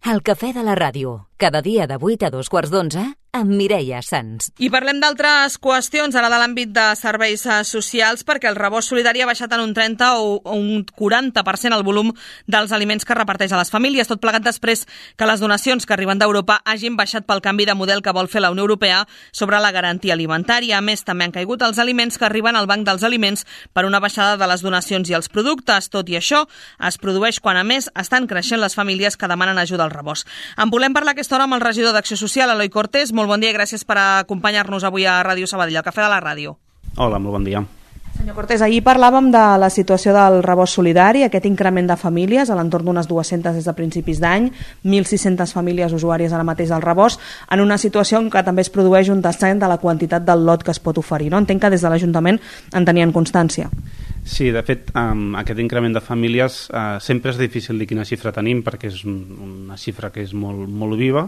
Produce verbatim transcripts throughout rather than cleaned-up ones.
El cafè de la ràdio, cada dia de vuit a dos quarts d'onze, amb Mireia Sans. I parlem d'altres qüestions, ara de l'àmbit de serveis socials, perquè el rebost solidari ha baixat en un trenta o un quaranta per cent el volum dels aliments que reparteix a les famílies, tot plegat després que les donacions que arriben d'Europa hagin baixat pel canvi de model que vol fer la Unió Europea sobre la garantia alimentària. A més, també han caigut els aliments que arriben al Banc dels Aliments per una baixada de les donacions i els productes. Tot i això, es produeix quan, a més, estan creixent les famílies que demanen ajuda al rebost. En volem parlar aquesta hora amb el regidor d'Acció Social, Eloi Cortés. Molt bon dia i gràcies per acompanyar-nos avui a Ràdio Sabadell, al Cafè de la Ràdio. Hola, molt bon dia. Senyor Cortés, ahir parlàvem de la situació del rebost solidari, aquest increment de famílies, a l'entorn d'unes dues-centes des de principis d'any, mil sis-centes famílies usuàries ara mateix del rebost, en una situació en què també es produeix un descens de la quantitat del lot que es pot oferir, no? Entenc que des de l'Ajuntament en tenien constància. Sí, de fet, um, aquest increment de famílies uh, sempre és difícil dir quina xifra tenim perquè és un, una xifra que és molt, molt viva.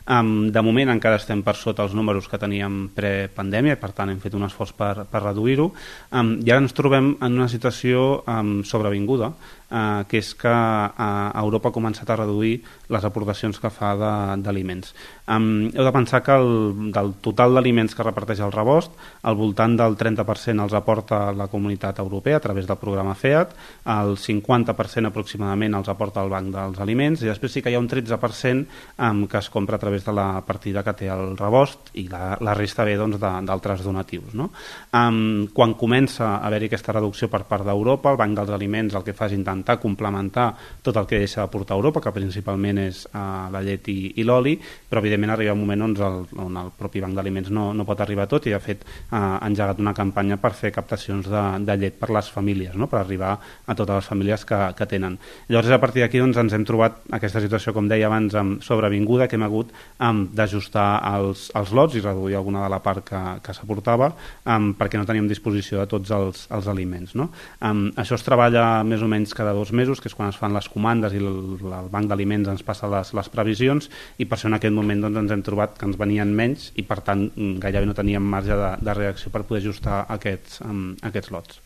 Um, de moment encara estem per sota els números que teníem prepandèmia i per tant hem fet un esforç per, per reduir-ho. Um, I ara ens trobem en una situació um, sobrevinguda, Uh, que és que uh, Europa ha començat a reduir les aportacions que fa d'aliments. Um, heu de pensar que el, del total d'aliments que reparteix el rebost, al voltant del trenta per cent els aporta la Comunitat Europea a través del programa FEAD, el cinquanta per cent aproximadament els aporta el Banc dels Aliments i després sí que hi ha un tretze per cent um, que es compra a través de la partida que té el rebost i la, la resta ve doncs, d'altres donatius. No? Um, quan comença a haver-hi aquesta reducció per part d'Europa, el Banc dels Aliments el que fa és intentar complementar tot el que deixa d'aportar Europa, que principalment és uh, la llet i, i l'oli, però evidentment arriba un moment on el, on el propi Banc d'Aliments no, no pot arribar a tot i de fet uh, ha engegat una campanya per fer captacions de, de llet per les famílies, no? Per arribar a totes les famílies que, que tenen. Llavors a partir d'aquí doncs, ens hem trobat aquesta situació, com deia abans, amb sobrevinguda, que hem hagut um, d'ajustar els, els lots i reduir alguna de la part que, que s'aportava um, perquè no teníem disposició de tots els, els aliments. No? Um, això es treballa més o menys cada dos mesos, que és quan es fan les comandes i el, el Banc d'Aliments ens passa les, les previsions i per això en aquest moment doncs, ens hem trobat que ens venien menys i per tant gairebé no teníem marge de, de reacció per poder ajustar aquests, um, aquests lots.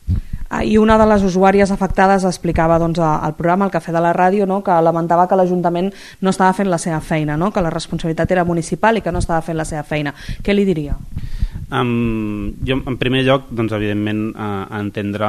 Ah, i una de les usuàries afectades explicava doncs, al programa, al Cafè de la Ràdio, no? Que lamentava que l'Ajuntament no estava fent la seva feina, no? Que la responsabilitat era municipal i que no estava fent la seva feina. Què li diria? Um, jo en primer lloc doncs, evidentment uh, entendre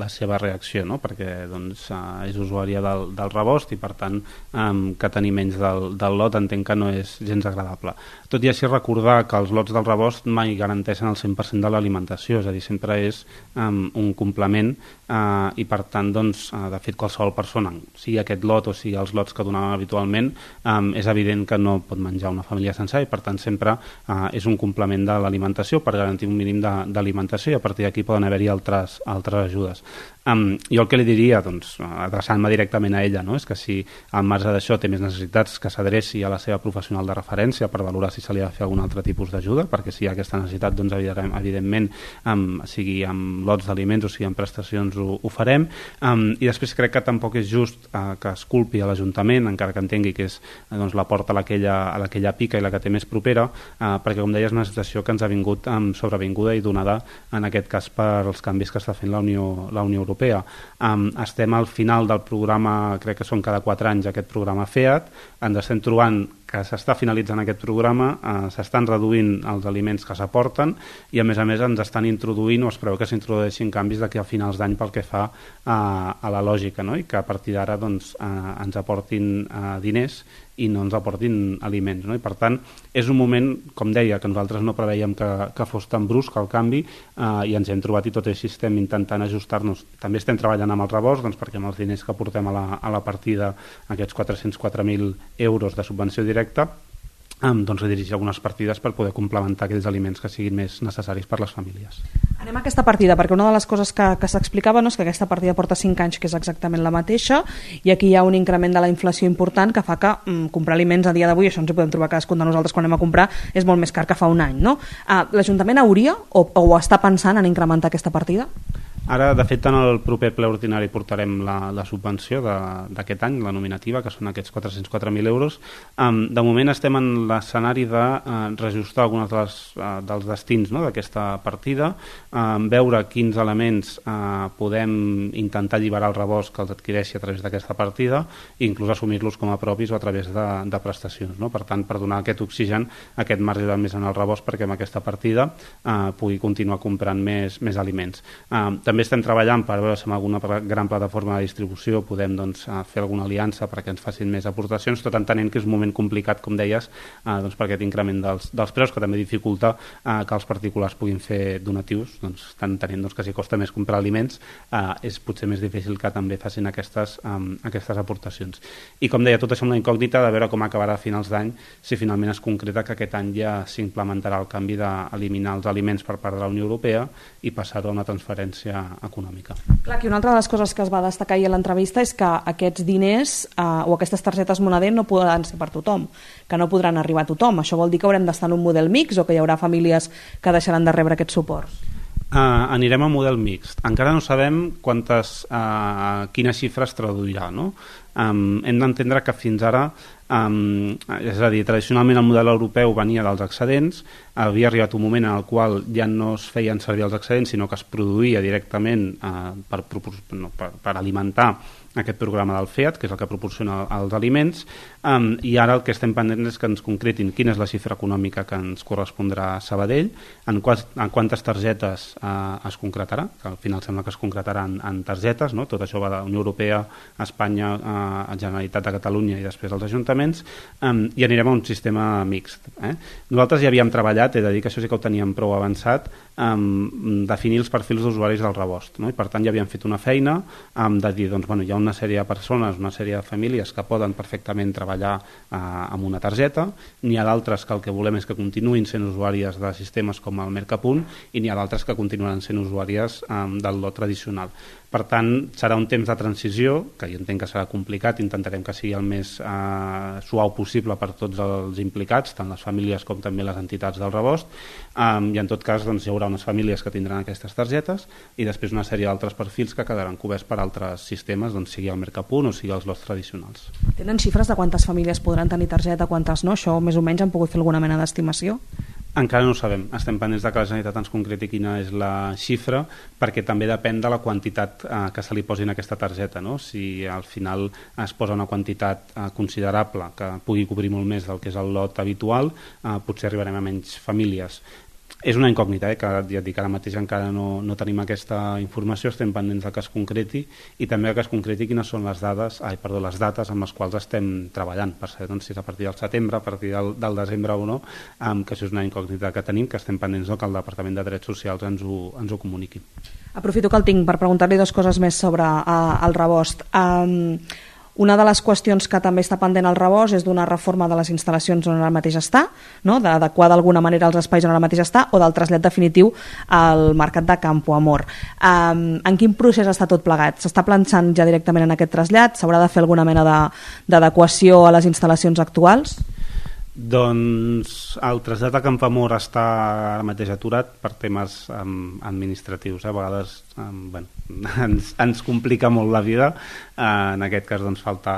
la seva reacció, no? Perquè doncs, uh, és usuària del, del rebost i per tant um, que tenir menys del, del lot entenc que no és gens agradable. Tot i així recordar que els lots del rebost mai garanteixen el cent per cent de l'alimentació, és a dir, sempre és um, un complement uh, i per tant doncs, uh, de fet qualsevol persona, sigui aquest lot o sigui els lots que donàvem habitualment, um, és evident que no pot menjar una família sencera i per tant sempre uh, és un complement de l'alimentació per garantir un mínim d'alimentació i a partir d'aquí poden haver-hi altres, altres ajudes. Um, jo el que li diria, doncs, adreçant-me directament a ella, no? És que si al marge d'això té més necessitats que s'adreci a la seva professional de referència per valorar si se li ha de fer algun altre tipus d'ajuda, perquè si hi ha aquesta necessitat, doncs evidentment, um, sigui amb lots d'aliments o sigui amb prestacions ho, ho farem. Um, I després crec que tampoc és just uh, que es culpi a l'Ajuntament, encara que entengui que és doncs, la porta a la que ella, a la que ella pica i la que té més propera, uh, perquè com deia és una situació que ens ha vingut um, sobrevinguda i donada en aquest cas per els canvis que està fent la Unió, la Unió Europea. Um, estem al final del programa, crec que són cada quatre anys aquest programa FEAD, ens estem trobant que s'està finalitzant aquest programa, eh, s'estan reduint els aliments que s'aporten i a més a més ens estan introduint o es preveu que s'introdueixin canvis d'aquí a finals d'any pel que fa eh, a la lògica, no? I que a partir d'ara doncs, eh, ens aportin eh, diners i no ens aportin aliments, no? I per tant és un moment, com deia, que nosaltres no preveiem que, que fos tan brusc el canvi eh, i ens hem trobat i tot així estem intentant ajustar-nos. També estem treballant amb el rebost doncs, perquè amb els diners que portem a la, a la partida, aquests quatre-cents quatre mil euros de subvenció directa, um, doncs redirigir algunes partides per poder complementar aquells aliments que siguin més necessaris per les famílies. Anem a aquesta partida, perquè una de les coses que, que s'explicava no, és que aquesta partida porta cinc anys, que és exactament la mateixa, i aquí hi ha un increment de la inflació important que fa que mm, comprar aliments a dia d'avui, això ens ho podem trobar cadascun de nosaltres quan anem a comprar, és molt més car que fa un any. No? Uh, L'Ajuntament hauria o, o està pensant en incrementar aquesta partida? Ara, de fet, en el proper ple ordinari portarem la, la subvenció d'aquest any, la nominativa, que són aquests quatre-cents quatre mil euros. Um, de moment estem en l'escenari de uh, reajustar alguns dels, uh, dels destins, no?, d'aquesta partida, um, veure quins elements uh, podem intentar alliberar el rebost que els adquireixi a través d'aquesta partida i inclús assumir-los com a propis o a través de, de prestacions, no? Per tant, per donar aquest oxigen, aquest marge de més en el rebost perquè amb aquesta partida uh, pugui continuar comprant més, més aliments. Uh, també estem treballant per veure si amb alguna gran plataforma de distribució podem doncs, fer alguna aliança perquè ens facin més aportacions, tot entenent que és un moment complicat, com deies, eh, doncs, per aquest increment dels, dels preus, que també dificulta eh, que els particulars puguin fer donatius, doncs, estan entenent doncs, que si costa més comprar aliments eh, és potser més difícil que també facin aquestes, um, aquestes aportacions. I com deia, tot això amb la incògnita de veure com acabarà a finals d'any, si finalment es concreta que aquest any ja s'implementarà el canvi d'eliminar els aliments per part de la Unió Europea i passar-ho a una transferència econòmica. Clar, que una altra de les coses que es va destacar ahir a l'entrevista és que aquests diners eh, o aquestes targetes moneder no podran ser per tothom, que no podran arribar a tothom. Això vol dir que haurem d'estar en un model mix o que hi haurà famílies que deixaran de rebre aquest suport? Uh, anirem a model mixt. Encara no sabem quantes, uh, quina xifra es traduirà, no? Um, hem d'entendre que fins ara, um, és a dir, tradicionalment el model europeu venia dels excedents, havia arribat un moment en el qual ja no es feien servir els excedents, sinó que es produïa directament uh, per, no, per, per alimentar aquest programa del FEAD, que és el que proporciona els aliments, um, i ara el que estem pendents és que ens concretin quina és la xifra econòmica que ens correspondrà a Sabadell, en, quals, en quantes targetes uh, es concretarà, que al final sembla que es concretarà en, en targetes, no? Tot això va de la Unió Europea, Espanya, uh, Generalitat de Catalunya i després els ajuntaments, um, i anirem a un sistema mixt. Eh? Nosaltres ja havíem treballat, he de dir que això sí que ho teníem prou avançat, um, definir els perfils d'usuaris del rebost, no? I per tant ja havíem fet una feina um, de dir, doncs, bueno, hi ha una sèrie de persones, una sèrie de famílies que poden perfectament treballar eh, amb una targeta, n'hi ha d'altres que el que volem és que continuïn sent usuàries de sistemes com el Mercapunt i n'hi ha d'altres que continuaran sent usuàries eh, del lot tradicional. Per tant, serà un temps de transició, que jo entenc que serà complicat, intentarem que sigui el més eh, suau possible per tots els implicats, tant les famílies com també les entitats del rebost, um, i en tot cas doncs, hi haurà unes famílies que tindran aquestes targetes i després una sèrie d'altres perfils que quedaran coberts per altres sistemes, doncs, sigui el Mercapunt o sigui els lots tradicionals. Tenen xifres de quantes famílies podran tenir targeta, quantes no? Això més o menys han pogut fer alguna mena d'estimació? Encara no ho sabem. Estem pendents de que la Generalitat ens concreti quina és la xifra, perquè també depèn de la quantitat eh, que se li posi en aquesta targeta, no? Si al final es posa una quantitat eh, considerable que pugui cobrir molt més del que és el lot habitual, eh, potser arribarem a menys famílies. És una incògnita, eh, que ja et dic, ara mateix encara no, no tenim aquesta informació, estem pendents de que es concreti i també que es concreti quines són les dades, ai, perdó, les dates amb les quals estem treballant, per saber doncs, si és a partir del setembre, a partir del, del desembre o no, um, que això és una incògnita que tenim, que estem pendents no, que el Departament de Drets Socials ens ho, ens ho comuniqui. Aprofito que el tinc per preguntar-li dues coses més sobre uh, el rebost. Um, Una de les qüestions que també està pendent al rebost és d'una reforma de les instal·lacions on ara mateix està, no? D'adequar d'alguna manera els espais on ara mateix està, o del trasllat definitiu al mercat de Campo Amor. Um, en quin procés està tot plegat? S'està planxant ja directament en aquest trasllat? S'haurà de fer alguna mena d'adequació a les instal·lacions actuals? Doncs el trasllat a Campoamor està ara mateix aturat per temes um, administratius. A vegades um, bueno, ens, ens complica molt la vida. Uh, en aquest cas doncs, falta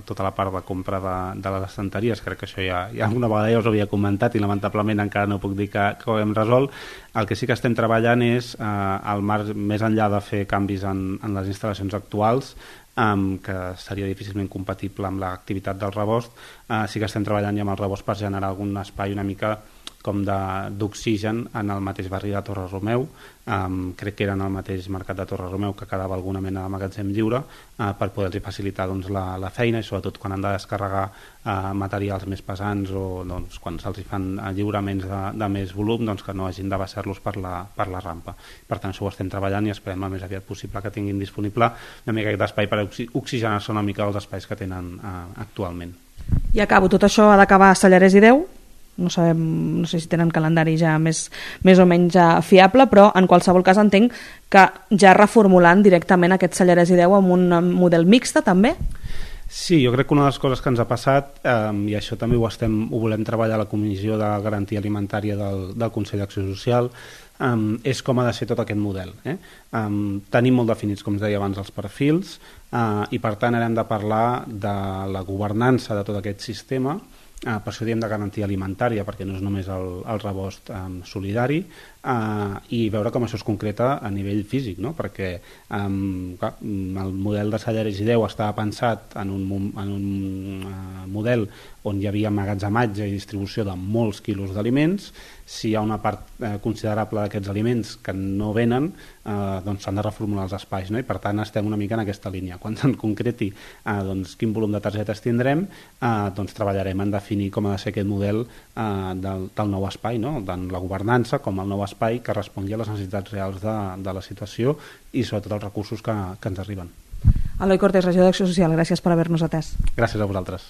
tota la part de compra de, de les estanteries. Crec que això ja, ja alguna vegada ja us havia comentat i lamentablement encara no puc dir que, que ho hem resolt. El que sí que estem treballant és uh, el marc, més enllà de fer canvis en, en les instal·lacions actuals, Um, que seria difícilment compatible amb l'activitat del rebost, uh, sí que estem treballant ja amb el rebost per generar algun espai una mica com d'oxigen en el mateix barri de Torre Romeu. Um, crec que era en el mateix mercat de Torre Romeu que quedava alguna mena de magatzem lliure uh, per poder-los facilitar doncs, la, la feina i sobretot quan han de descarregar uh, materials més pesants o doncs, quan se'ls fan uh, lliuraments de, de més volum, doncs, que no hagin de baixar-los per, la, per la rampa. Per tant, això ho estem treballant i esperem el més aviat possible que tinguin disponible una mica d'espai per oxi oxigenar-se una mica els espais que tenen uh, actualment. I acabo, tot això ha d'acabar a Sallarès i Déu? No sabem, no sé si tenen calendari ja més, més o menys ja fiable, però en qualsevol cas entenc que ja reformulant directament aquest Sallarès i Déu amb un model mixta també? Sí, jo crec que una de les coses que ens ha passat, eh, i això també ho, estem, ho volem treballar a la Comissió de Garantia Alimentària del, del Consell d'Acció Social, eh, és com ha de ser tot aquest model. Eh? Eh, tenim molt definits, com es deia abans, els perfils, eh, i per tant hem de parlar de la governança de tot aquest sistema. Uh, per això diem de garantia alimentària, perquè no és només el, el rebost um, solidari, uh, i veure com això es concreta a nivell físic, no? Perquè um, clar, el model de Salleres i Deu estava pensat en un, en un uh, model on hi havia emmagatzematge i distribució de molts quilos d'aliments. Si hi ha una part eh, considerable d'aquests aliments que no venen, eh, doncs s'han de reformular els espais, no? I per tant estem una mica en aquesta línia. Quan se'n concreti eh, doncs, quin volum de targetes tindrem, eh, doncs treballarem en definir com ha de ser aquest model eh, del, del nou espai, no? Tant la governança com el nou espai que respongui a les necessitats reals de, de la situació i sobretot els recursos que, que ens arriben. Eloi Cortés, regidor d'Acció Social, gràcies per haver-nos atès. Gràcies a vosaltres.